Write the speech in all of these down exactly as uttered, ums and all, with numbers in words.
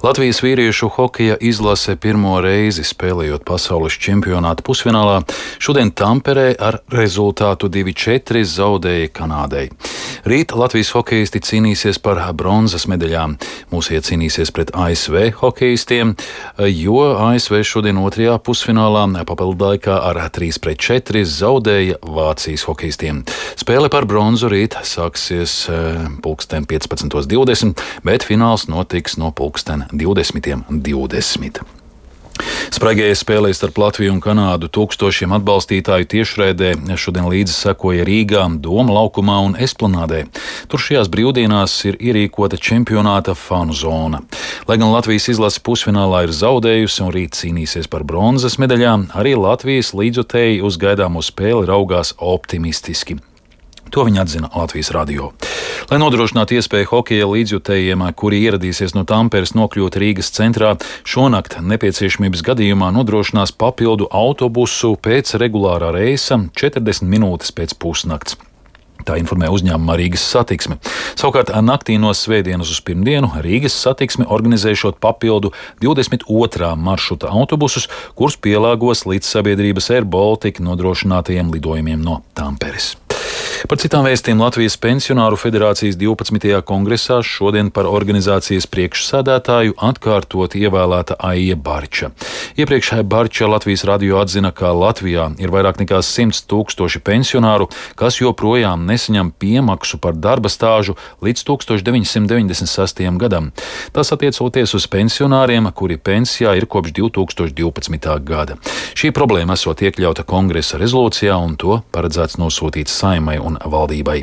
Latvijas vīriešu hokeja izlase pirmo reizi spēlējot pasaules čempionāta pusfinālā šodien Tamperē ar rezultātu divi četri zaudēja Kanādai. Rīt Latvijas hokeisti cīnīsies par bronzas medaļām. Mūsie cīnīsies pret A S V hokeistiem, jo A S V šodien otrajā pusfinālā papildu laikā ar trīs pret četri zaudēja Vācijas hokeistiem. Spēle par bronzu rīt sāksies pulksten piecpadsmit divdesmit, bet fināls notiks no pulksten divdesmit divdesmit. Spraigajai spēlē starp Latviju un Kanādu tūkstošiem atbalstītāju tiešraidē šodien līdzi sekoja Rīgā, Doma laukumā un Esplanādē. Tur šajās brīvdienās ir ierīkota čempionāta fanu zona. Lai gan Latvijas izlase pusfinālā ir zaudējusi un rīt cīnīsies par bronzas medaļām, arī Latvijas līdzjutēji uz gaidāmo spēli raugās optimistiski. To viņi atzina Latvijas radio. Lai nodrošinātu iespēju hokeja līdzjutējiem, kuri ieradīsies no Tamperes, nokļūt Rīgas centrā, šonakt nepieciešamības gadījumā nodrošinās papildu autobusu pēc regulārā reisa četrdesmit minūtes pēc pusnakts. Tā informē uzņēmumā Rīgas satiksme. Savukārt naktī no svētdienas uz pirmdienu Rīgas satiksme organizēšot papildu divdesmit otrā maršruta autobusus, kurus pielāgos līdz sabiedrības Air Baltica nodrošinātajiem lidojumiem no Tamperes. Par citām vēstījumiem Latvijas Pensionāru federācijas divpadsmitajā kongresā šodien par organizācijas priekšsēdētāju atkārtot ievēlēta Aija Barča. Iepriekš Barča Latvijas radio atzina, ka Latvijā ir vairāk nekā simts tūkstoši pensionāru, kas joprojām nesaņem piemaksu par darba stāžu līdz tūkstoš deviņsimt deviņdesmit sestajam gadam. Tas attiecoties uz pensionāriem, kuri pensijā ir kopš divtūkstoš divpadsmitā gada. Šī problēma esot iekļauta kongresa rezolūcijā un to paredzēts nosūtīt Saeimai un valdībai.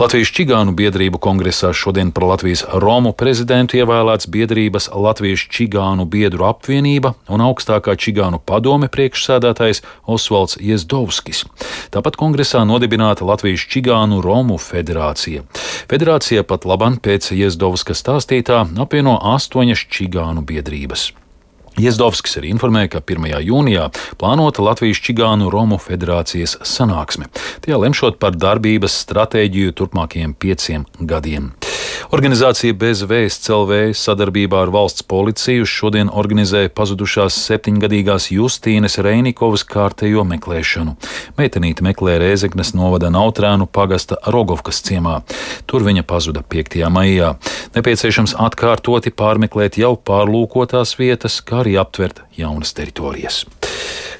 Latvijas čigānu biedrību kongresā šodien par Latvijas Romu prezidentu ievēlēts biedrības Latvijas čigānu biedru apvienība un augstākā čigānu padome priekšsēdētājs Osvalds Jezdovskis. Tāpat kongresā nodibināta Latvijas čigānu Romu federācija. Federācija pat labam pēc Jezdovska stāstītā apvieno astoņas čigānu biedrības. Jezdovskis arī informēja, ka pirmajā jūnijā plānota Latvijas čigānu Romu federācijas sanāksme. Tajā lemšot par darbības stratēģiju turpmākajiem pieciem gadiem. Organizācija Bez vēsts L V sadarbībā ar valsts policiju šodien organizēja pazudušās septiņgadīgās Justīnes Reinikovas kārtējo meklēšanu. Meitenīte meklē Rēzeknes novada Nautrēnu pagasta Rogovkas ciemā. Tur viņa pazuda piektajā maijā. Nepieciešams atkārtoti pārmeklēt jau pārlūkotās vietas, kā arī aptvert jaunas teritorijas.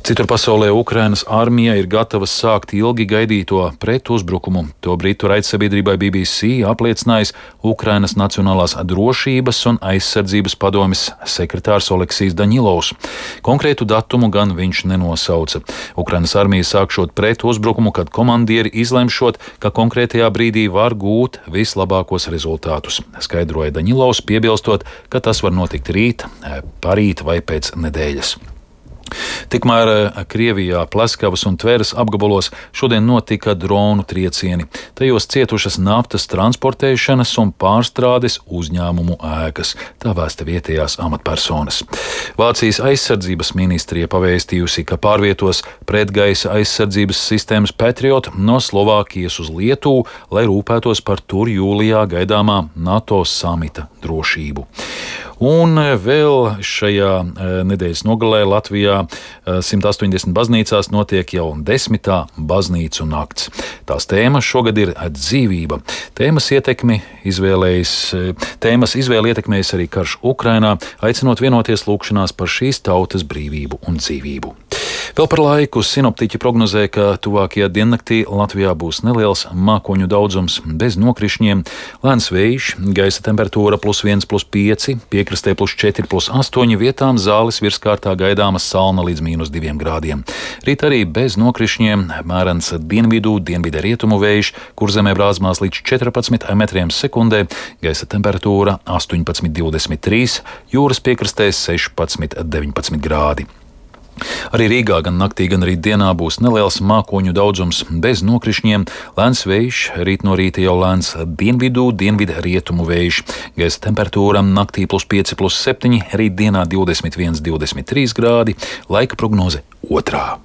Citur pasaulē Ukrainas armija ir gatava sākt ilgi gaidīto pretuzbrukumu. To britu raidsabiedrībai B B C apliecinājis Ukrainas Nacionālās drošības un aizsardzības padomes sekretārs Oleksijs Daņilovs. Konkrētu datumu gan viņš nenosauca. Ukrainas armija sākšot pretuzbrukumu, kad komandieri izlemšot, ka konkrētajā brīdī var gūt vislabākos rezultātus, skaidroja Daņilovs, piebilstot, ka tas var notikt rīt, parīt vai pēc nedēļas. Tikmēr Krievijā Pleskavas un Tveres apgabalos šodien notika dronu triecieni. Tajos cietušas naftas transportēšanas un pārstrādes uzņēmumu ēkas, tā vēsta vietējās amatpersonas. Vācijas aizsardzības ministrija pavēstījusi, ka pārvietos pretgaisa aizsardzības sistēmas Patriot no Slovākijas uz Lietuvu, lai rūpētos par tur jūlijā gaidāmā NATO samita drošību. Un vēl šajā nedēļas nogalē Latvijā simt astoņdesmit baznīcās notiek jau desmitā baznīcu nakts. Tās tēmas šogad ir dzīvība. Tēmas ietekmi izvēlējis, tēmas izvēle ietekmējas arī karš Ukrainā, aicinot vienoties lūgšanās par šīs tautas brīvību un dzīvību. Vēl par laiku sinoptiķi prognozē, ka tuvākajā diennaktī Latvijā būs neliels mākoņu daudzums bez nokrišņiem, lēns vējš, gaisa temperatūra plus viens, plus pieci, piekrastē plus četri, plus astoņi, vietām zāles virskārtā gaidāmas salna līdz mīnus diviem grādiem. Rīt arī bez nokrišņiem, mērens dienvidu, dienvidu rietumu vējš, kur zemē brāzmās līdz četrpadsmit metriem sekundē, gaisa temperatūra astoņpadsmit, divdesmit trīs, jūras piekrastē sešpadsmit, deviņpadsmit grādi. Arī Rīgā gan naktī, gan rīt dienā būs neliels mākoņu daudzums bez nokrišņiem, lēns vējš, rīt no rīta jau lēns dienvidu, dienvidu rietumu vējš. Gaisa temperatūra naktī plus pieci, plus septiņi, rīt dienā divdesmit viens, divdesmit trīs grādi, laika prognoze otrā.